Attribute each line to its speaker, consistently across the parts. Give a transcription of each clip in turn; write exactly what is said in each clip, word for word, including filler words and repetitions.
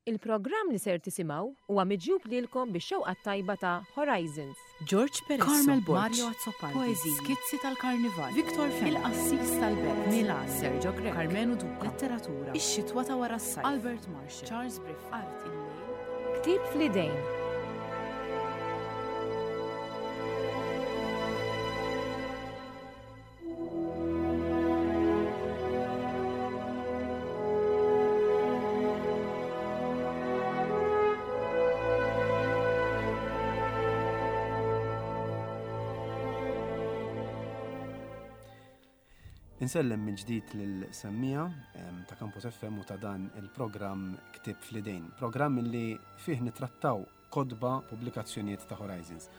Speaker 1: Il-programm li ser tisimgħu huwa miġjub lilkom bix-xewqa tajba ta' Horizons.
Speaker 2: George Peresso,
Speaker 3: Carmel Borg,
Speaker 2: Mario Azzopardi,
Speaker 3: Poeziji,
Speaker 2: Skizzi tal-Karnival,
Speaker 3: Victor Fenech,
Speaker 2: Il-Qassis tal-Belt,
Speaker 3: Milan,
Speaker 2: Sergio Grech,
Speaker 3: Karmenu Duca,
Speaker 2: Letteratura,
Speaker 3: Ix-Xitwa ta' wara s-sajf,
Speaker 2: Albert Marshall,
Speaker 3: Charles Briffa,
Speaker 2: Art il-Lejl,
Speaker 1: Ktieb fl-idejn.
Speaker 4: Insellem minn ġdid lil-semmija em, ta' Campus F M u ta' dan il-programm Ktieb fl-idejn. Programm li fih nitrattaw kotba, pubblikazzjonijiet ta' Horizons.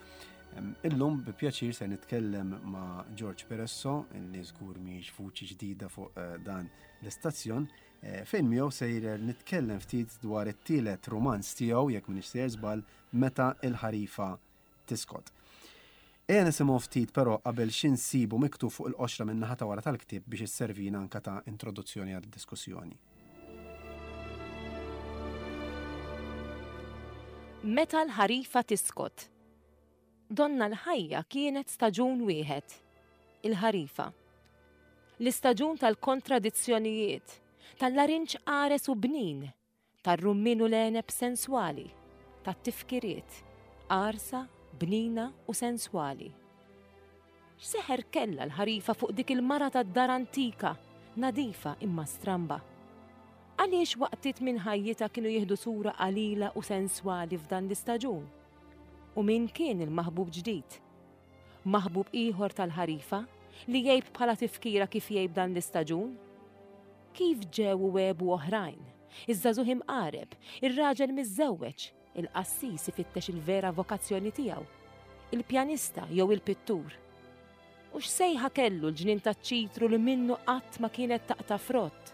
Speaker 4: Em, Illum bi pjaċir se nitkellem ma' George Peresso, li żgur mhix vuċi ġdida fuq eh, dan l-istazzjon, eh, fejn miegħu sejjer nitkellem ftit dwar it-tielet romanz tiegħu, jekk m'iniex sejjer żball, Meta il-ħarifa tiskot. Ejja nisimgħu ftit però qabel xi nsibu miktub fuq il-qoxra minn naħa ta' wara tal-ktieb biex isservina anka ta' introduzzjoni għad-diskussjoni.
Speaker 1: Meta l-ħarifa tiskot. Donna l-ħajja kienet staġun wieħed, il-ħarifa. L-istaġun tal-kontradizzjonijiet, tal-larinġ qares u bnin, tar-rummin u l-għeneb senswali, tat-tifkiriet, qarsa, bnina u senswali. X'seħer kella l-ħarifa fuq dik il-mara tad-dar antika, nadifa imma stramba? Għaliex waqtiet minn ħajjitha kienu jieħdu sura qalila u senswali f'dan l-istaġun? U min kien il-maħbub ġdid? Maħbub ieħor tal-ħarifa li jgħib bħala tifkira kif jgħib dan l-istaġun? Kif ġew u għebu oħrajn? Iż-żagħżugħ imqareb, ir-raġel miżżewweġ, il-qassis ifittex il-vera vokazzjoni tiegħu, il-pjanista jew il-pittur. U x'sejħa kellu l-ġnien taċ-ċitru li minnu qatt ma kienet taqta' frott?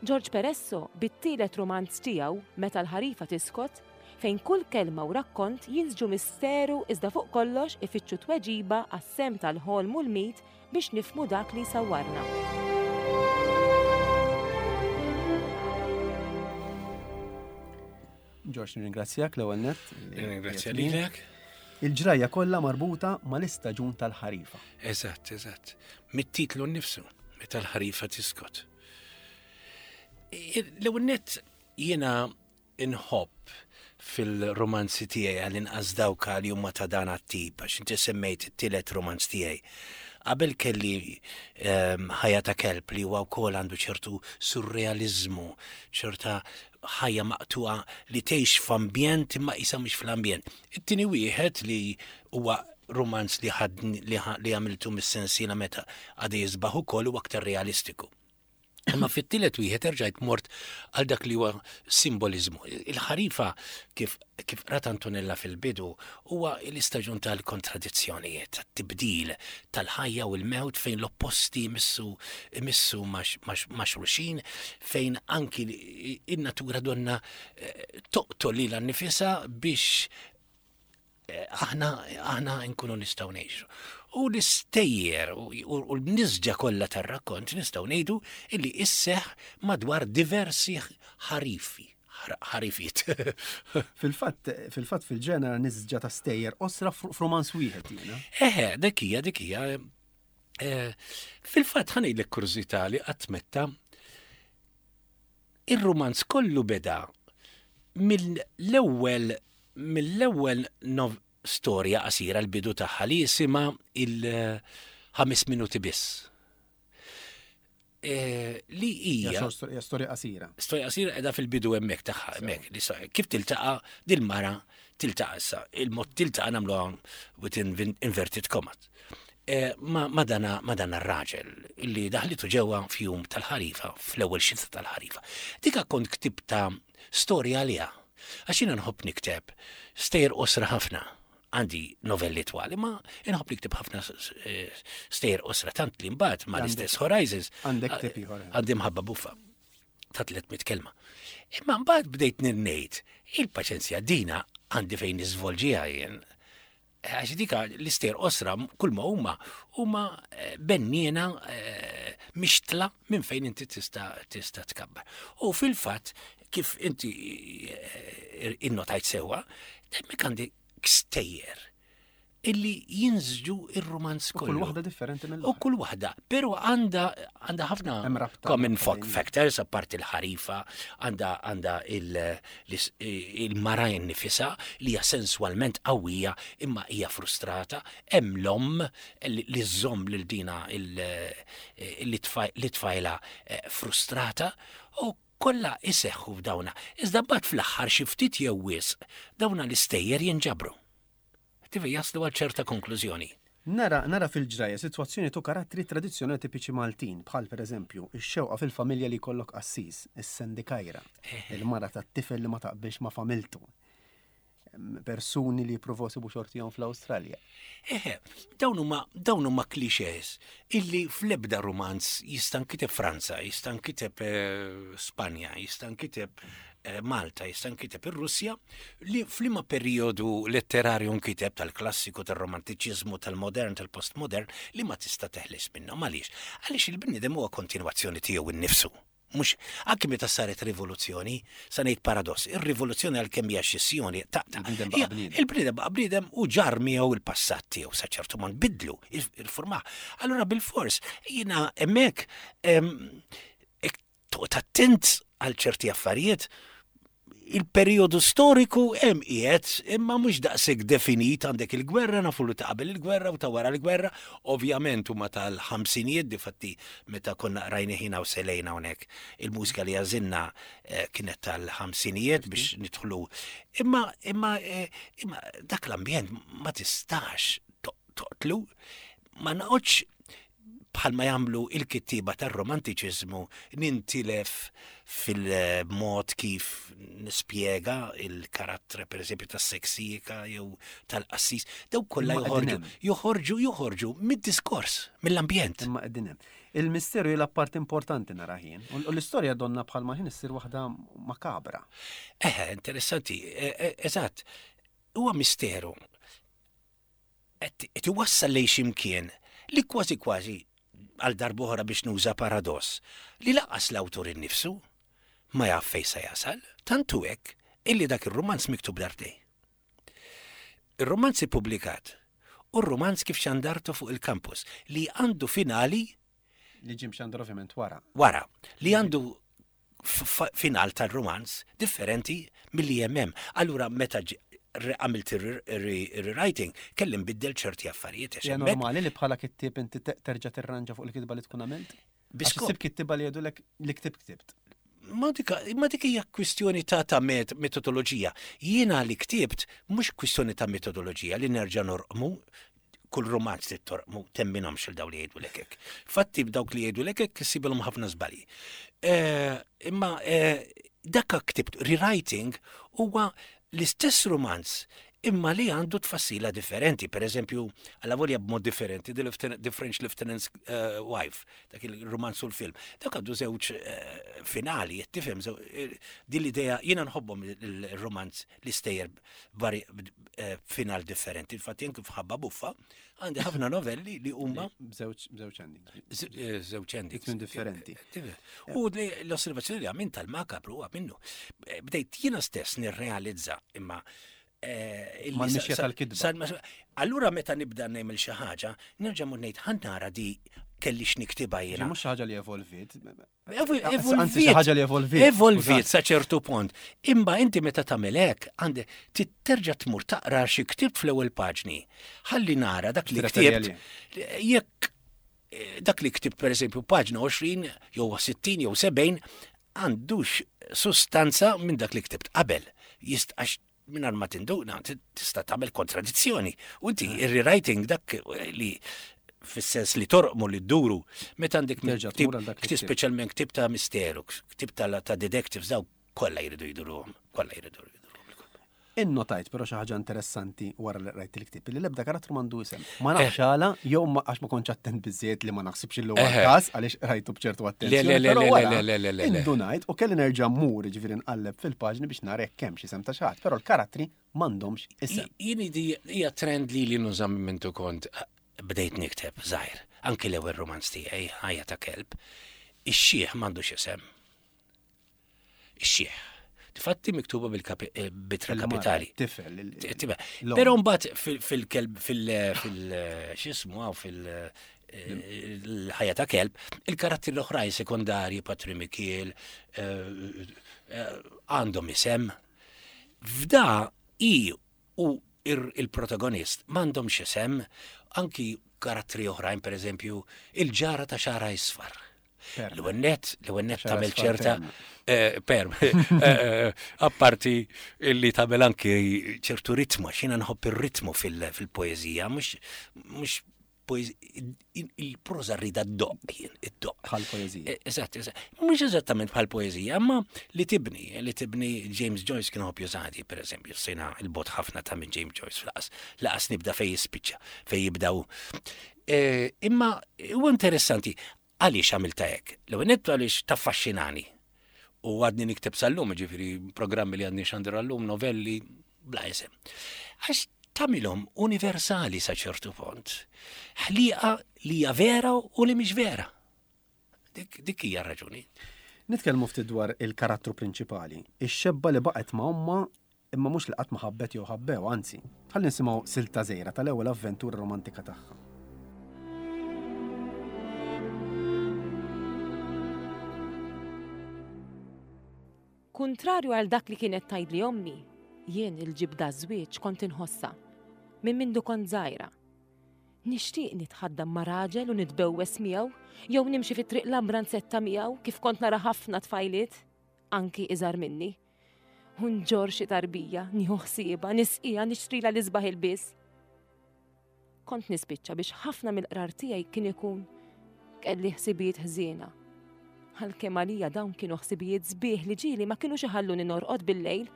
Speaker 1: George Peresso bit-tielet romanz tiegħu, Meta l-ħarifa tiskot, fejn kull kelma u rakkont jinsġu misteru iżda fuq kollox ifittxu tweġiba għas-sem tal-ħolm u l-mit biex nifmu dak li sawwarna.
Speaker 4: George, nirringrazzjak l-ewwel nett.
Speaker 5: Nirringrazzja lilek.
Speaker 4: Il-ġrajja kollha marbuta mal-istaġun tal-ħarifa.
Speaker 5: Eżatt, eżatt. Mit-titlu nnifsu, Meta l-ħarifa tiskot. L-ewwel nett jiena inħobb fil-romanzi tiegħi, għall-inqas dawk li huma ta' dan għat-tip, għax inti semmejt it-tielet romanz tiegħi. Qabel kelli ehm, Ħajja ta' kelb, li huwa wkoll għandu ċertu surrealizmu, ċerta ħajja maqtuqa li tgħix f'ambjent imma isa mhux fl-ambjent. It-tieni wieħed li huwa romanz li ħad li ħa- li għamiltu mis-sensiela Meta għada jisbaħ ukoll huwa aktar realistiku. Imma fit-tielet wieħed erġajt mort għal dak li huwa simbolizmu. Il-ħarifa, kif kif rat Antonella fil-bidu, huwa l-istaġun tal-kontradizzjonijiet, tat-tibdil tal-ħajja u l-mewt, fejn l-opposti jmissu jmissu ma' xulxin, fejn anki in-natura donna eh, toqtol lilha nnifisha biex eh, aħna aħna nkunu nistgħu ngħixu. U l-istejjer u u l-nisġa kollha tar-rakkont nistgħu ngħidu illi isseħ madwar diversi ħarifi, ħar- ħarifiet.
Speaker 4: Fil-fatt, fil-fatt fil-ġenera nisġa ta' stejjer qosra f'romanz wieħed jiena.
Speaker 5: Eħe, dik hija, dik hija. eh, Fil-fatt ħa ngħidlek kurżità li qatt metta ir-romanz kollu beda mill-ewwel mill-ewwel nov storja qasira, l-bidu tagħha li jisimha Il-ħames minuti biss. Eh, li hija
Speaker 4: Hija hija storja qasira.
Speaker 5: Storja qasira qiegħda fil-bidu hemmhekk tagħha hemmhekk li sa- kif tiltaqa' dil-mara, tiltaqa' issa il-mod tiltaqa' nagħmluha within vin- inverted commas. Eh, ma, ma dana ma dana r-raġel illi daħlitu ġewwa f'jum tal-ħarifa, fl-ewwel xita tal-ħarifa. Dika kont ktibta storja għaliha. Għax jiena nħobb nikteb stejjer qosra ħafna. Għandi novelli twal, ma inħobb nikteb ħafna s- s- eh, stejjer qosra, tant li mbagħad ma l-istess Horizons
Speaker 4: Għandek ktieb ieħor, eh.
Speaker 5: għandi Mħabba buffa ta' tliet mitt kelma. Imma mbagħad bdejt ngħid, il-paċenzja dina għandi fejn niżvolġiha jien. Għax dika l-istejjer qosra kull ma huma huma eh, benniena eh, mixtla minn fejn inti tista' tista' tkabbar. U fil-fatt Kif inti eh, innotajt sewwa, hemmhekk għandi stejjer illi jinsġu ir-romanz
Speaker 4: U kull
Speaker 5: kollu.
Speaker 4: waħda differenti
Speaker 5: U
Speaker 4: mill-oħra.
Speaker 5: kull waħda, pero għandha għandha ħafna
Speaker 4: Hemm rabta
Speaker 5: common
Speaker 4: bejn.
Speaker 5: fuck factors, apparti il-ħarifa, għandha għandha il- l- il-mara nifisha li hija sensualment qawwija imma hija frustrata, hemm l-omm li li żżomm lil dina il- li tfaj- li tfajla eh, frustrata u kollha iseħħu f'dawna. Iżda mbagħad fl-aħħar xi ftit jew wisq dawna l-istejjer jinġabru. Tivi jaslu għal ċerta konklużjoni.
Speaker 4: Nara, nara fil-ġraja situazzjoni tu karattri tradizzjonali tipiċi Maltin, bħal per eżempju, ix-xewqa fil-familja li jkollok qassis, is-sendikajra, il-mara tat-tifel li ma taqbilx ma' familtu, em, persuni li jippruvaw isibu xortihom fl-Awstralja.
Speaker 5: Eħe, dawn huma dawn huma clichés illi fl-ebda romanz jista' nkiteb Franza, jista' nkiteb eh, Spanja, jista' nkiteb eh, Malta, jista' nkiteb ir-Russja, li f'liema perjodu letterarju nkiteb tal-klassiku, tal-romantiċiżmu, tal-modern, tal-postmodern, li ma tista' teħles minnhom. Għaliex? Għaliex il-bniedem huwa kontinwazzjoni tiegħu innifsu. Mhux, anki meta saret rivoluzzjoni, sa ngħid paradoss, ir-rivoluzzjoni għalkemm hija xissjoni ta' ta'
Speaker 4: Il-bniedem baqa'
Speaker 5: hija-
Speaker 4: bniedem.
Speaker 5: Il-bniedem baqa' bniedem u ġar miegħu il-passat tiegħu sa ċertu mod bidlu, il-formah. Allura bil-fors, jiena hemmhekk em, ek toqgħod attent għal ċerti affarijiet, il-periodu storiku hemm qiegħed imma mhux daqshekk definit. Għandek il-gwerra, nafu li ta' qabel il-gwerra u ta' wara l-gwerra, ovvjament huma tal-ħamsinijiet, difatti meta konna rajni ħina u selejna hawnhekk il-mużika li għażilna eh, kienet tal-ħamsinijiet biex nidħlu. Imma imma eh, imma dak l-ambjent ma tistax to- toqtlu, ma noqgħodx bħalma jagħmlu il-kittiba tar-romantiċiżmu nintilef fil-mod kif nispjega il-karattru per eżempju tas-seksika jew tal-qassis, daw kollha
Speaker 4: Imma
Speaker 5: joħorġu
Speaker 4: qegħdin hemm.
Speaker 5: joħorġu joħorġu mid-diskors, mill-ambjent.
Speaker 4: Imma qegħdin hemm. Il-misteru jilgħab parti importanti nara jien. U u l-istorja donna bħalma ħin issir waħda makabra.
Speaker 5: Eħe, interessanti, e- e- eżatt, huwa misteru. Qed iwassal lejn x'imkien li kważi kważi għal darb'oħra biex nuża paradoss li lanqas l-awtur innifsu ma jaf fejn se jasal, tantu hekk illi dak ir-romanz miktub darbtejn. Ir-romanz ippubblikat u r-romanz kif xandartu fuq il-kampus li għandu finali
Speaker 4: Li ġie mxandar ovvjament wara.
Speaker 5: Wara, li għandu f- final tal-romanz differenti milli hemm. Allura meta ġi- re- għamilt il-rewriting, kelli nbiddel ċerti affarijiet, għax
Speaker 4: Hija
Speaker 5: hemmhekk
Speaker 4: normali li bħala kittieb inti te- terġa' tirranġa fuq il-kitba li tkun għamilt? Għax
Speaker 5: Biskop.
Speaker 4: issib kittiba li jgħidulek li ktibt ktibt.
Speaker 5: Ma dik ma dik hija kwistjoni ta' ta' met metodoloġija. Jiena li ktibt mhux kwistjoni ta' metodoloġija li nerġa' norqmu kull romanz li torqmu, temminhomx il daw li jgħidu hekk. Fatti b'dawk li jgħidu hekk issibilhom ħafna żbalji. Eh, Imma eh, dakka ktibt rewriting huwa l-istess romanz imma li għandu tfassila differenti. Per eżempju, għalla volja b'mod differenti, The, Lieutenant, The French Lieutenant's uh, Wife, dak il-romanz u l-film. Dak għandu żewġ uh, finali, tifhem, eh, din l-idea, jiena nħobbhom il-romanz li stejjer vari uh, final differenti. Infatti, anke f'Ħabba Buffa, għandi ħafna novelli li huma
Speaker 4: B'żewġ b'żewġ endings.
Speaker 5: Z- eh, żewġ endings.
Speaker 4: Tmiem differenti.
Speaker 5: Tifhem. U li- l-osservazzjoni li għamilt tal-makabru huwa minnu. Eh, Bdejt jiena stess nirrealizza imma eh, illi
Speaker 4: Mal-mixja
Speaker 5: sa- sa-
Speaker 4: tal-kitba.
Speaker 5: sal- Allura meta nibda nagħmel xi ħaġa, nerġa' mur ngħid ħa nara di kellix niktibha jiena.
Speaker 4: Mhux xi ħaġa li evolvit.
Speaker 5: Evo-
Speaker 4: Anzi, xi ħaġa li evolvit.
Speaker 5: Evolvit sa ċertu punt. Imma inti meta tagħmel hekk għandi terġa' tmur taqra xi ktibt fl-ewwel paġni. Ħalli nara dak li
Speaker 4: Tirreferi
Speaker 5: ktibt. Jekk eh, dak li ktibt per eżempju paġna għoxrin jew sittin jew sebgħin għandux sustanza minn dak li ktibt qabel. Jist għax mingħajr ma tinduna tista' tagħmel kontradizzjoni. U inti ir-rewriting dak li fis-sens li torqmu li dduru meta għandek
Speaker 4: Terġa'
Speaker 5: ktib-
Speaker 4: tmur għal dak li
Speaker 5: ktib
Speaker 4: ktibt.
Speaker 5: speċjalment ktib ta' misteru, ktib ta' ta' detectives, daw kollha jridu jduruhom, kollha jridu jduruhom.
Speaker 4: Innotajt però xi ħaġa interessanti wara li rajt il-ktib li l-ebda karattru m'għandu isem. Ma nafx għala jew ma għax ma kontx attent biżejjed li ma naħsibx li huwa
Speaker 5: Eħe.
Speaker 4: każ għaliex rajtu b'ċertu attenzjoni.
Speaker 5: Le, le, le,
Speaker 4: però
Speaker 5: le,
Speaker 4: wara
Speaker 5: le, le, le, le, le.
Speaker 4: Indunajt u kelli nerġa' mmur ġifieri nqalleb fil-paġni biex nara jekk hemm xi isem ta' xi ħadd, però l-karattri m'għandhomx isem.
Speaker 5: Jien di hija trend li li nuża minn mintu kont bdejt nikteb żgħir, anki l-ewwel romanz tiegħi, Ħajja ta' Kelb, ix-xieħ m'għandux isem. Ix-xieħ. Difatti miktuba bil-bitra kapitali.
Speaker 4: Tifel.
Speaker 5: Però mbagħad fil-kelb fil x'ismu hawn fil l-ħajja ta' kelb, il-karattri l-oħrajn sekondarji, Patri Mikiel, għandhom isem. F'da i u il-protagonist m'għandhomx isem, anki karattri oħrajn, per eżempju, il-ġara ta' xara isfar. L-għennet, l-għennet tagħmel ċerta perm. Apparti li tagħmel anki ċertu ritmu, xina nħobb ir-ritmu fil-poeżija, mhux il-proza rrida d-doq, id-doq.
Speaker 4: Bħal poeżija.
Speaker 5: Eżatt, eżatt. Mhux eżattament bħal poeżija, imma li tibni, li tibni James Joyce kien ħobb jużadi, per eżempju, sejna il-bot ħafna ta' minn James Joyce fl-qas, laqas nibda fej jispiċċa, fej jibdaw. Imma huwa interessanti, għaliex għamilta hekk? L-ewwel nett għaliex taffaxxinani. U għadni nikteb sal-lum, ġifieri programmi li għadni xandir għallum, novelli, bla isem. Għax tagħmilhom universali sa ċertu punt. Ħliqa li hija vera u li mhix vera. Dik, dik hija raġuni.
Speaker 4: Nitkellmu ftit dwar il-karattru prinċipali, ix-xebba li baqgħet ma' ommha imma mhux li qatt ma ħabbet jew ħabbew, anzi. Ħalli nisimgħu silta żgħira tal-ewwel avventura romantika tagħha.
Speaker 1: Kuntrarju għal dak li kienet tgħidli ommi, jien il-ġibda żwieġ kont inħossa minn mindu kont żgħira. Nixtieq nitħaddam ma' raġel u nitbewwes miegħu, jew nimxi fi triq l-ambranzetta miegħu kif kont nara ħafna tfajliet, anki iżgħar minni. U nġorr xi tarbija, nieħu ħsiebha, nisqiha, nixtrila l-isbaħ ilbies. Kont nispiċċa biex ħafna mill-qrar tiegħi kien ikun kelli ħsibijiet ħżiena. Għalkemm għalija dawn kienu ħsibijiet sbieħ li ġieli ma kinux iħalluni norqod bil-lejl.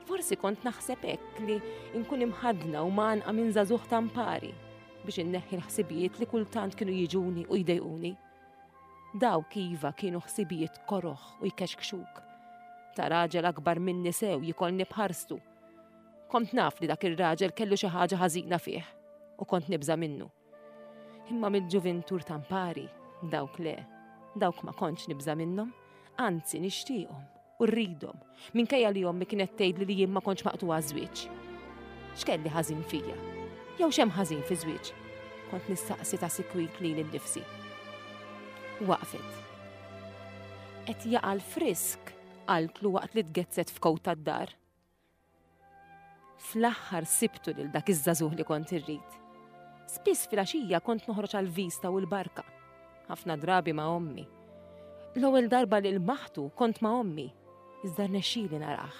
Speaker 1: Forsi kont naħseb hekk li nkun imħadna u manqa minn żagħżugħ tampari biex inneħħi l-ħsibijiet li kultant kienu jiġuni u jdejquni. Dawk iva kienu ħsibijiet koroħ u jkexkxuk. Ta' raġel akbar minni sew jikolni bħarstu. Kont naf li dak ir-raġel kellu xi ħaġa ħażina fih u kont nibża' minnu. Imma mill-ġuvintur tampari, dawk le, dawk ma kontx nibża' minnhom, anzi nixtieqhom u rridhom, minkejja li ommi kienet tgħidli li jien ma kontx maqtuha żwieġ. X'kelli ħażin fija? Jew x'hemm ħażin fi żwieġ? Kont nistaqsi ta' sikwit lili nnifsi. Waqfet. Qed jaqa' l-frisk, qaltlu waqt li tgezzet f'kowt tad-dar. Fl-aħħar sibtu lil dak iż-żagħżugħ li kont irrid. Spiss filgħaxija kont noħroġ għall-vista u l-barka, ħafna drabi ma' ommi. L-ewwel darba li l-maħtu kont ma' ommi, iżda rnexxieli narah.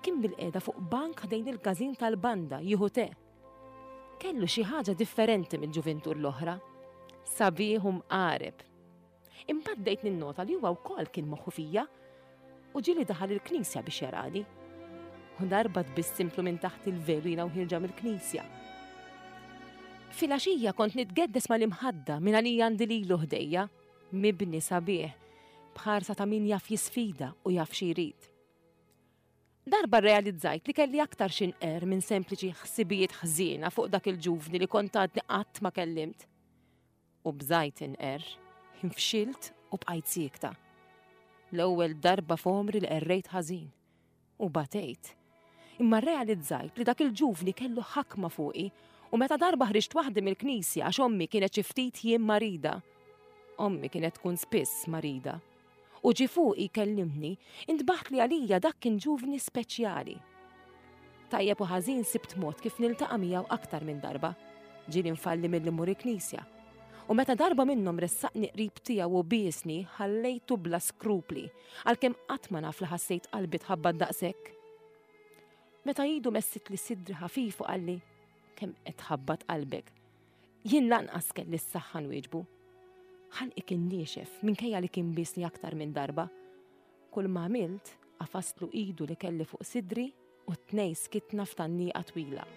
Speaker 1: Kien bil-qiegħda fuq bank ħdejn il-każin tal-banda jieħu te. Kellu xi ħaġa differenti mill-ġuvintur l-oħra. Sabiħ u mqareb. Imbagħad bdejt ninnota li huwa wkoll kien moħħu fija u ġieli daħal il-knisja biex jarani. U darba tbissimtlu minn taħt il-velu jiena u ħirġa mill-knisja. Filgħaxija kont nitgeddes mal-imħadda minn għalija għandi lilu ħdejja, mibni sabiħ, bħarsa ta' min jaf jisfida u jaf xi jrid. Darba rrealizzajt li kelli aktar xinqer minn sempliċi ħsibijiet ħżiena fuq dak il-ġuvni li kont għadni qatt ma kellimt. U bżajt inqer, infxilt u bqajt siekta. L-ewwel darba f'għomri li qerrejt ħażin u batejt. Imma rrealizzajt li dak il-ġuvni kellu ħakma fuqi u meta darba ħriġt waħdi mill-knisja għax ommi kienet xi ftit jiem marida. Ommi kienet tkun spiss marida. U ġie fuqi jkellimni, intbaħt li għalija dak kien ġuvni speċjali. Tajjeb u ħażin sibt mod kif niltaqa' miegħu aktar minn darba. Ġieli nfalli milli mmur il-knisja. U meta darba minnhom ressaqni qrib tiegħu u biesni, ħallejtu bla skrupli, għalkemm qatt ma naf li ħassejt qalbi tħabbat daqshekk. Meta idu messitli sidri ħafif u qalli, kemm qed tħabbat qalbek. Jien lanqas kelli s-saħħa nwieġbu. Ħalqi kien niexef minkejja li kien biesni aktar minn darba. Kull ma għamilt, qafastlu idu li kelli fuq sidri u t-tnej skitna f'tannieqa twila.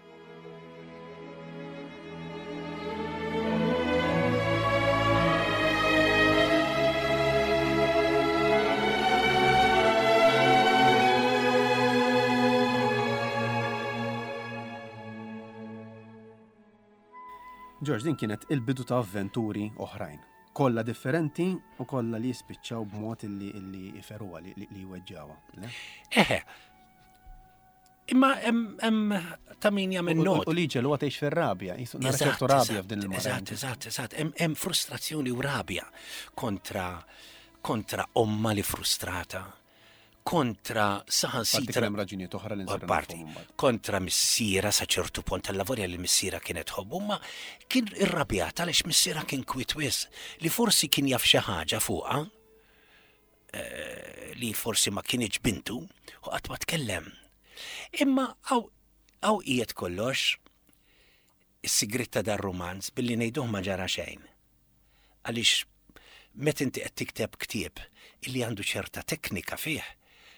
Speaker 4: George, din kienet il-bidu ta' avventuri oħrajn. Kollha differenti u kollha li jispiċċaw b'mod illi illi iferuha li li jweġġawha. le?
Speaker 5: Eħe. Imma hemm hemm ta' min jagħmel
Speaker 4: U- u-
Speaker 5: not.
Speaker 4: U li ġelu tgħix fir-rabja, jisu nara
Speaker 5: Eżatt,
Speaker 4: ċertu rabja
Speaker 5: eżatt,
Speaker 4: f'din il-mara.
Speaker 5: Eżatt, eżatt, eżatt. Hemm hemm frustrazzjoni u rabja kontra kontra omma li frustrata, kontra
Speaker 4: Parti
Speaker 5: saħansitra
Speaker 4: kien hemm raġunijiet oħra li nsiru
Speaker 5: parti,
Speaker 4: nafuhom imbagħad.
Speaker 5: kontra missiera sa ċertu punt tal-lavorja li missiera kienet tħobbu, ma kien irrabjat għaliex missiera kien kwit wisq li forsi kien jaf xi ħaġa fuqha eh, li forsi ma kienx bintu u qatt ma tkellem. Imma għaw għaw qiegħed kollox is-sigrit ta' dar romanz billi ngħiduh ma ġara xejn. Għaliex meta inti qed tikteb ktieb illi għandu ċerta teknika fih,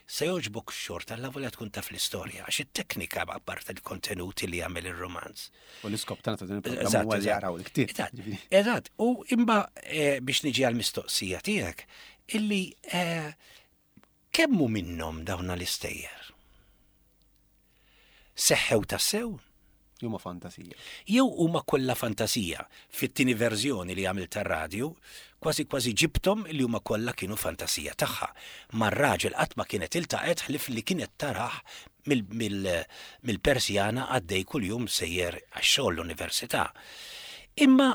Speaker 5: se jogħġbok xorta alla volja tkun taf l-istorja, għax it-teknika apart il-kontenut li jagħmel ir-romanz.
Speaker 4: U l-iskop tagħna ta' din il-programm
Speaker 5: Eżatt,
Speaker 4: huwa li
Speaker 5: eżatt.
Speaker 4: jaqraw il-ktieb.
Speaker 5: Eżatt,
Speaker 4: Ġifieri.
Speaker 5: Eżatt, u imma eh, biex niġi għal-mistoqsija tiegħek, illi eh, kemmu minnhom dawna l-istejjer? Seħħew tassew?
Speaker 4: Huma fantasija.
Speaker 5: Jew huma kollha fantasija. Fit-tieni verżjoni li għamilt tar-radju, kważi kważi ġibtom li huma kollha kienu fantasija tagħha. Mar-raġel qatt ma kienet iltaqgħet ħlif li kienet taraħ mill- mill- mill-Persjana għaddej kuljum sejjer għax-xogħol l-università. Imma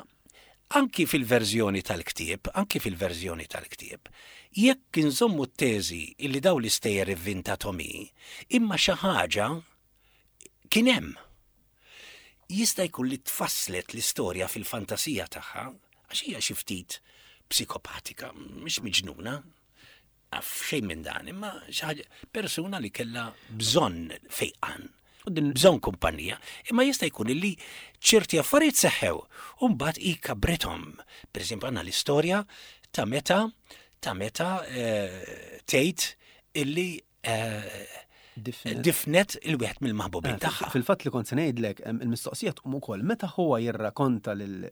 Speaker 5: anki fil-verżjoni tal-ktieb, anki fil-verżjoni tal-ktieb, jekk inżommu t-teżi illi daw l-istejjer ivvintathom hi, imma xi ħaġa kien hemm jista' jkun li tfasslet l-istorja fil-fantasija tagħha, għax hija xi ftit psikopatika, mhix miġnuna, għaf xejn minn dan, imma xi ħaġa persuna li kellha bżonn fejqan, bżonn kumpanija, imma jista' jkun li ċerti affarijiet seħħew u mbagħad hi kabrithom. Pereżempju għandna l-istorja ta' meta ta' meta eh, tgħid illi eh,
Speaker 4: Difnet.
Speaker 5: difnet il-wieħed mill-maħbubin
Speaker 4: Eh,
Speaker 5: tagħha.
Speaker 4: Fil-fatt li kont se ngħidlek, em, il-mistoqsija tqum ukoll meta huwa jirrakonta lil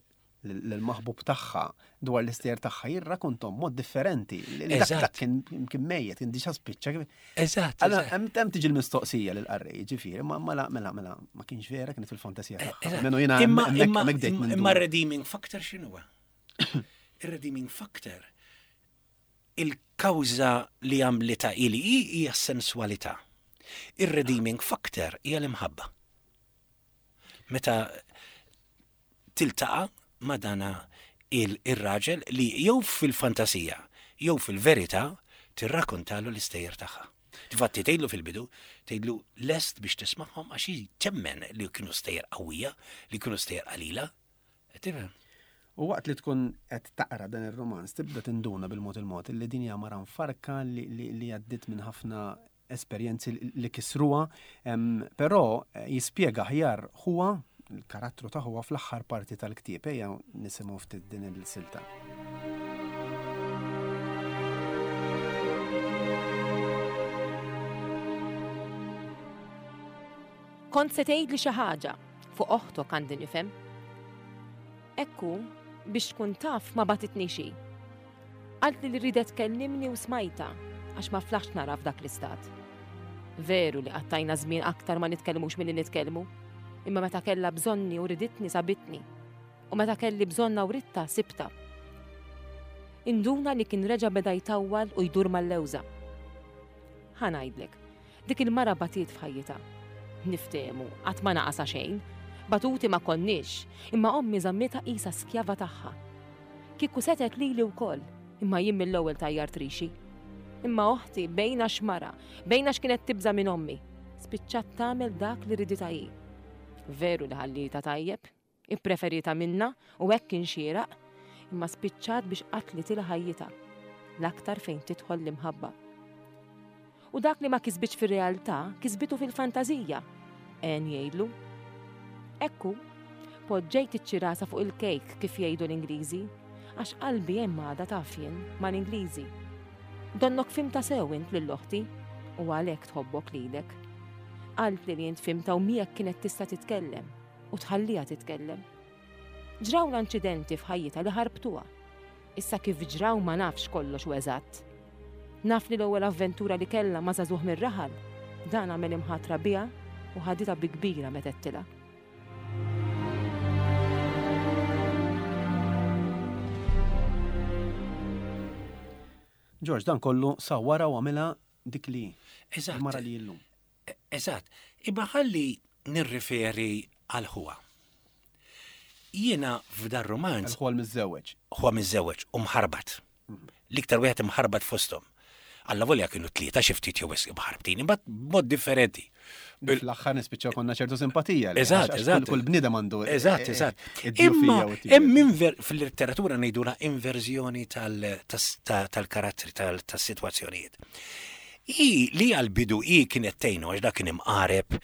Speaker 4: lill-maħbub tagħha dwar l-istejjer tagħha jirrakontom mod differenti. Li Dak
Speaker 5: Eżatt.
Speaker 4: dak kien kien mejjet, kien diġà spiċċa.
Speaker 5: Eżatt.
Speaker 4: Allora,
Speaker 5: eżatt.
Speaker 4: hemm hemm tiġi l-mistoqsija lill-qarrej, ġifieri, ma mela mela mela ma kienx vera kienet fil-fantasija tagħha.
Speaker 5: Eżatt.
Speaker 4: Menu jiena
Speaker 5: Imma
Speaker 4: hemmhekk
Speaker 5: imma
Speaker 4: hemmhekk bdejt
Speaker 5: imma
Speaker 4: ninduna.
Speaker 5: redeeming factor x'inhuwa? Ir-redeeming factor il-kawża li għamlita ili hi hija s-sensualità. Ir-redeeming factor hija l-imħabba. Meta tiltaqa' ma' dana il- ir-raġel li jew fil-fantasija jew fil-verità tirrakontalu l-istejjer tagħha. Infatti tgħidlu fil-bidu, tgħidlu lest biex tismagħhom għax hi temmen li kienu stejjer qawwija, li kienu stejjer qalila. Tifhem?
Speaker 4: U waqt li tkun qed taqra dan ir-romanz tibda tinduna bil-mod il-mod li din hija mara mfarka li, li, li għaddiet minn ħafna esperjenzi li- li kisruha, em, però eh, jispjega aħjar huwa il-karattru ta' huwa fl-aħħar parti tal-ktieb ejja nisimgħu ftit din il-silta.
Speaker 1: Kont se tgħidli xi ħaġa fuq oħtok għandi nifhem. Ekku, biex tkun taf ma batitni xi. Qaltli li ridet tkellimni u smajta għax ma flaħx nara f'dak l-istat. Veru li qattajna żmien aktar ma nitkellmux milli nitkellmu, imma meta kellha bżonni u riditni sabitni. U meta kelli bżonna u ritta sibta. Induna li kien reġa beda jtawwal u jdur mal-lewża. Ħa ngħidlek, dik il-mara batiet f'ħajjitha. Niftehmu, qatt ma naqasa xejn. Batuti ma konniex, imma ommi żammita qisha skjava tagħha. Kieku setet lili wkoll, imma jien mill-ewwel tajjar trixi. Imma oħti bejna xmara, bejna x'kienet tibża minn ommi. Spiċċat tagħmel dak li ridita hi. Veru li ħallita tajjeb, ippreferita minna u hekk kien xieraq, imma spiċċat biex qatlitilha ħajjitha, l-aktar fejn tidħol l-imħabba. U dak li ma kisbitx fir-realtà, kisbitu fil-fantażija. En jgħidlu. Ekku, poġġejt iċ-ċirasa fuq il-kejk kif jgħidu l-Ingliżi, għax qalbi hemm għadha taf jien mal-Ingliżi. Donnok fimta sew int lil oħti u għalhekk tħobbok lilek. Qaltli li int fimta u miegħek kienet tista' titkellem u tħalliha titkellem. Ġraw l-inċidenti f'ħajjitha li ħarbtuha. Issa kif ġraw ma nafx kollox u eżatt. Naf li l-ewwel avventura li kellha ma' żagħżugħ mir-raħal, dan għamel imħatra biha u ħaditha bi kbira meta għedtilha.
Speaker 4: George, dan kollu sawwara u għamilha dik li
Speaker 5: Eżatt.
Speaker 4: il-mara li illum.
Speaker 5: Eżatt. Imma ħalli nirriferi għal ħuha. Jiena f'dar romanz
Speaker 4: Għal-ħuha l-miżżewweġ.
Speaker 5: huwa miżżewweġ u mħarbat. L-iktar wieħed imħarbat fosthom. Alla volja kienu tlieta xi ftit jew wisq imħarbtin, imbagħad b'mod differenti.
Speaker 4: Fl-aħħar nispiċċaw konna ċertu simpatija. li-
Speaker 5: Eżatt,
Speaker 4: għax- għax
Speaker 5: eżatt.
Speaker 4: Kull bniedem għandu.
Speaker 5: Eżatt,
Speaker 4: eh,
Speaker 5: eżatt.
Speaker 4: id-djufija
Speaker 5: Imma
Speaker 4: u t-tibet.
Speaker 5: hemm inver- fil-letteratura ngħidulha inverżjoni tal- tas- ta- tal-karattri tal- tas-sitwazzjonijiet. I li għal-bidu i kienet tgħinu għax dak kien imqareb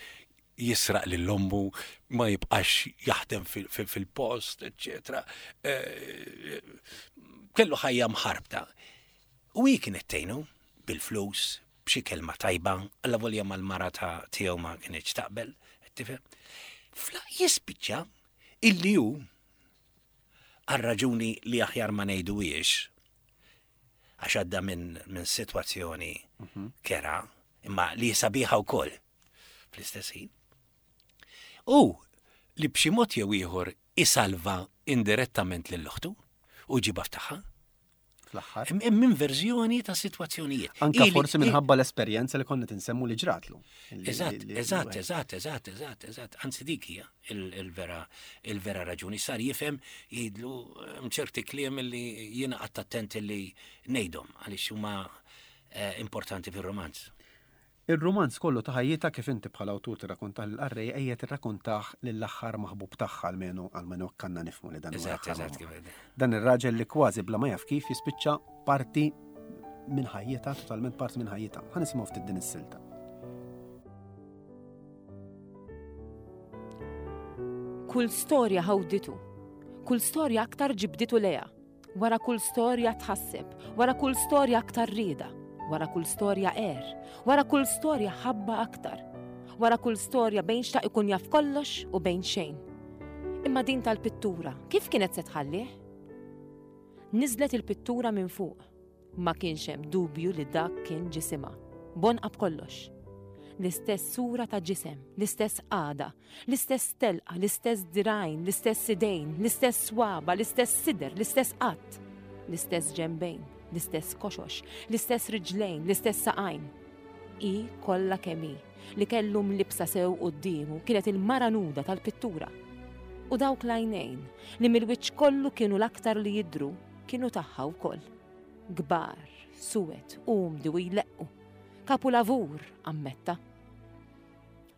Speaker 5: jisraq lil ommu ma jibqax jaħdem fil- fil- fil-post, eccetera. Eh, Kellu ħajja mħarbta. U hi kienet tgħinu bil-flus, b'xi kelma tajba, alla volja mal-mara ta' tiegħu ma kienx taqbel, tifhem. Fla jispiċċa illi hu għal raġuni li aħjar ma ngħiduhiex għax għadda minn min sitwazzjoni kera, imma li sabiħa wkoll fl-istess ħin. U li b'xi mod jew ieħor isalva indirettament lil oħtu u ġibha f'tagħha.
Speaker 4: Fl-aħħar.
Speaker 5: Hemm hemm inverżjoni ta' sitwazzjonijiet.
Speaker 4: Anka
Speaker 5: Ili-
Speaker 4: forsi
Speaker 5: i-
Speaker 4: minħabba l-esperjenza li konna tinsemmu li ġratlu. Li-
Speaker 5: Eżatt,
Speaker 4: li- li-
Speaker 5: eżatt, eżatt, eżatt, eżatt, eżatt. Anzi dik hija il- il-vera il-vera raġuni. Sar jifhem jgħidlu hemm ċerti kliem li jiena qatt attent li ngħidhom għaliex huma eh, importanti fir-romanz.
Speaker 4: Il-romanz kollu ta' ħajjitha kif inti bħala awtur tirrakkontah lill-qarrej ejja tirrakkontah lill-aħħar maħbub tagħha almenu almenu kanna nifhmu li dan huwa
Speaker 5: Eżatt,
Speaker 4: l-aħħar
Speaker 5: eżatt
Speaker 4: maħbub.
Speaker 5: kif
Speaker 4: Dan ir-raġel li kważi bla ma jaf kif jispiċċa parti minn ħajjitha, totalment parti minn ħajjitha. Ħa nisimgħu ftit din is-silta.
Speaker 1: Kull storja ħawditu, kull storja aktar ġibditu leja, wara kull storja tħasseb, wara kull storja aktar rieda, wara kull storja er, wara kull storja ħabba aktar, wara kull storja bejn xtaq ikun jaf kollox u bejn xejn. Imma din tal-pittura, kif kienet se tħallih? Niżlet il-pittura minn fuq. Ma kienx hemm dubju li dak kien ġisimha. Bonqa b'kollox. L-istess sura ta' ġisem, l-istess għada, l-istess telqa, l-istess dirgħajn, l-istess idejn, l-istess swaba, l-istess sider, l-istess qatt, l-istess ġembejn, l-istess koxox, l-istess riġlejn, l-istess saqajn. I kollha kemm hi, li kellu mlibsa sew quddiemu kienet il-mara nuda tal-pittura. U dawk l-għajnejn li mill-wiċċ kollu kienu l-aktar li jidru kienu tagħha wkoll. Kbar, suwed, umdi u jleqqu. Kapulavur, ammetta.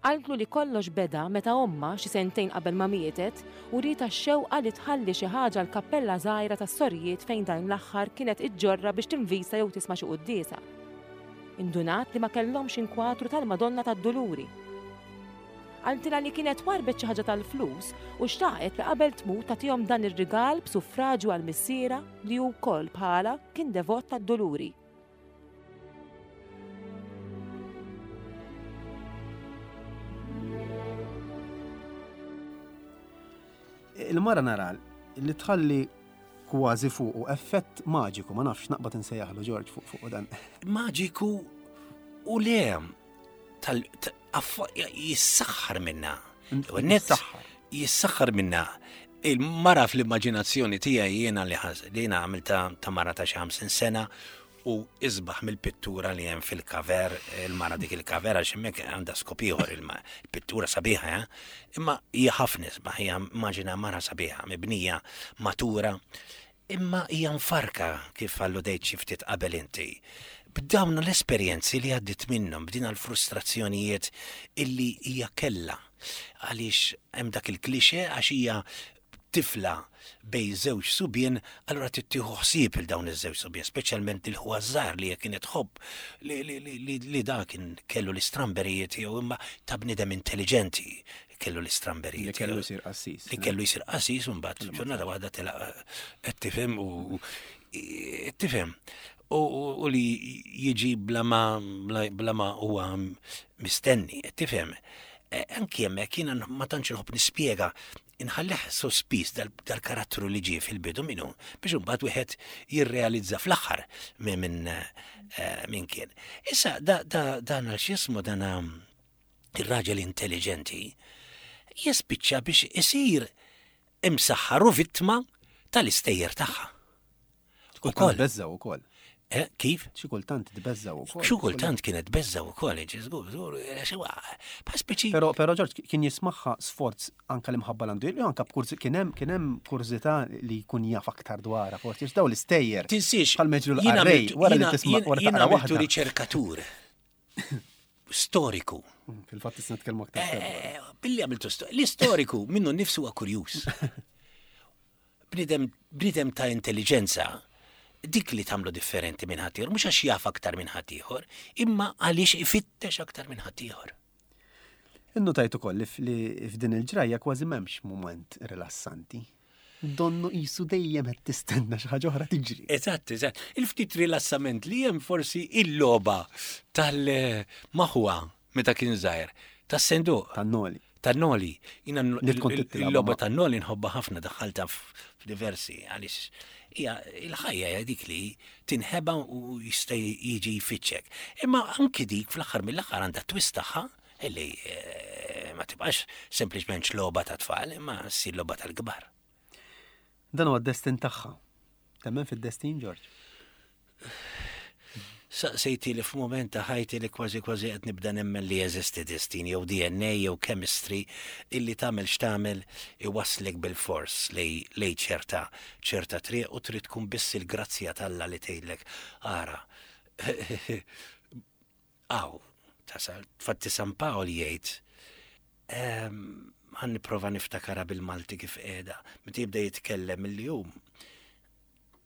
Speaker 1: Qaltlu li kollox beda meta omma xi sentejn qabel ma mietet u rita x-xewqa li tħalli xi ħaġa l-kappella żgħira tas-sorijiet fejn dan l-aħħar kienet iġġorra biex tinvisa jew tisma' xi quddiesa. Indunat li ma kellhomx inkwatru tal-Madonna tad-Duluri. Qaltilha li kienet warbet xi ħaġa tal-flus u xtaqet li qabel tmut tagħtihom dan ir-rigal b'suffraġju għal missiera li hu wkoll bħala kien devot tad-Duluri.
Speaker 4: Il-mara nara li tħalli kważi fuq effett maġiku, ma nafx naqbad insejjaħlu George fuq fuq dan.
Speaker 5: Maġiku u le tal ta- affa- jissaħħar minna. Net
Speaker 4: Jissaħħar.
Speaker 5: jissaħħar minna. Il-mara fl-immaġinazzjoni tiegħi jiena li ħas- li jiena għamilta ta' mara ta' xi ħamsin sena u isbaħ mill-pittura li hemm fil-kaver, il-mara dik il-kaver għax hemmhekk għandha skop ieħor il-pittura sabiħa, eh? Imma hija ħafna isbaħ, hija immaġina mara sabiħa, mibnija, matura, imma hija mfarka kif alludejt xi ftit qabel inti. B'dawn l-esperjenzi li għaddit minnhom, b'din l-frustrazzjonijiet illi hija kella. Għaliex hemm dak il-klixe għax hija tifla bej żewġ subien, allura tittieħu ħsieb il dawn iż-żewġ subien, speċjalment il-ħuha żgħar li kienet tħobb li, li, li, li, li da kien kellu l-istramberijiet jew imma ta' bniedem intelligenti kellu l-istramberijiet.
Speaker 4: Li kellu jsir qassis.
Speaker 5: Li kellu jsir qassis u mbagħad ġurnata waħda telaq qed tifhem u qed tifhem. U, u, u li jiġi bla ma bla, bla ma huwa mistenni, qed tifhem. E, Anki hemmhekk jiena ma tantx inħobb nispjega inħallih sospiż dal- dal-karattru li ġie fil-bidu minnu biex imbagħad wieħed jirrealizza fl-aħħar minn min, eh, min kien. Issa da, da, dan għal x'ismu dan ir-raġel intelligenti jispiċċa biex isir imsaħħar u vittma tal-istejjer tagħha.
Speaker 4: Ukoll beżza wkoll.
Speaker 5: Eh, kif?
Speaker 4: Xi kultant tbeżżaw ukoll.
Speaker 5: Xi kultant kienet tbeżżaw ukoll, żgur, żgur, bħal speċi.
Speaker 4: Però però George kien jismagħha sforz anka l-imħabba l-għandu, jew anka b'kurz kien hemm kien hemm kurżità li jkun jaf aktar dwarha, forsi daw l-istejjer.
Speaker 5: Tinsiex.
Speaker 4: Bħal meġru l-qarrej, wara li tisma' wara
Speaker 5: taqra
Speaker 4: waħda.
Speaker 5: Riċerkatur storiku.
Speaker 4: Mm, fil-fatt tisna nitkellmu aktar.
Speaker 5: Eh, billi għamiltu l-istoriku minnu nnifsu huwa kurjuż. Bniedem ta' intelligenza dik li tagħmlu differenti minn ħaddieħor, mhux għax jaf aktar minn ħaddieħor, imma għaliex ifittex aktar minn ħaddieħor.
Speaker 4: Innotajt ukoll li f'din il-ġrajja kważi m'hemmx mument rilassanti. Donnu qisu dejjem qed tistenna xi ħaġa oħra tiġri.
Speaker 5: Eżatt, eżatt. Il-ftit rilassament li hemm forsi il-logħba tal-maħwa meta kien żgħir, tas-senduq.
Speaker 4: Tan-noli.
Speaker 5: Tan-noli. Jiena il-logħba tan-noli nħobbha ħafna, daħħalta f'diversi għaliex hija il-ħajja hija dik li tinħeba u jista' jiġi jfittxek. Imma anki dik fl-aħħar mill-aħħar għandha twist tagħha illi ma tibqax sempliċement logħba ta' tfal, imma ssir logħba tal-kbar.
Speaker 4: Dan huwa d-destin tagħha. Temmen fid-destin, George?
Speaker 5: Saqsejti li f'mument ta' ħajti li kważi kważi qed nibda nemmen li jeżisti destin jew D N A jew chemistry illi tagħmel x'tagħmel iwaslek bil-fors lej ċerta ċerta triq u trid tkun biss il-grazzja t'Alla li tgħidlek ara. Aw, tasal, fatti San Pawl jgħid ħa nipprova niftakarha bil-Malti kif qiegħda, meta jibda jitkellem il-jum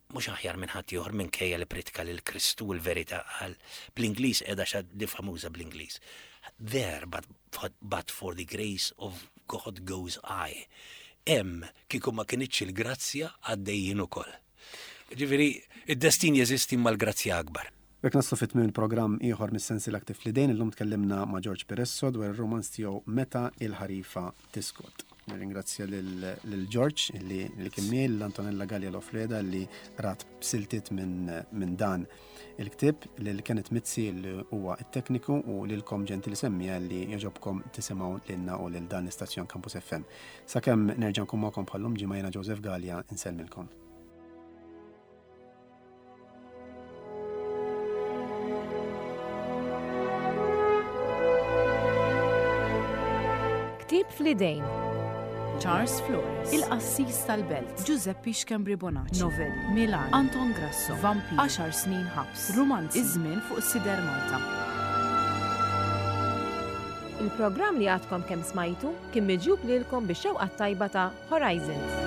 Speaker 5: mhux aħjar minn ħadd ieħor minkejja li pritka lil Kristu l-verità qal bl-Ingliż qiegħda xa di famuża bl-Ingliż. "There but, but for the grace of God goes I." Hemm kieku ma kinitx il-grazzja għaddejjin ukoll. Ġifieri, id-destin jeżisti mal-grazzja akbar.
Speaker 4: B'hekk naslu fi tmiem il-programm ieħor mis-sensiela Ktieb fl-Idejn, illum tkellimna ma' George Piresso dwar ir-romanz tiegħu Meta il-ħarifa tiskot. Nirringrazzja lil George li li kien miegħi, lil Antonella Gallia Lofreda li rat siltiet minn min dan il-ktieb, lil Kenneth Mizzi li huwa it-tekniku u lilkom ġentili semmiegħa li jogħġobkom tisimgħu lilna u lil dan l-istazzjon Campus F M. Sakemm nerġa' nkun magħkom bħallum ġimgħa, jiena Joseph Gallia insellmilkom.
Speaker 1: Ktieb fl-idejn.
Speaker 2: Charles Flores, Il-Qassis tal-Belt, Giuseppe Schembri Bonacci, Novelli, Milan, Anton Grasso, Vampir, għaxar snin ħabs, Romanzi, Iż-żmien fuq Sider Malta.
Speaker 1: Il-programm li għadkom kemm smajtu kien miġjub lilkom bix-xewqa tajba ta' Horizons.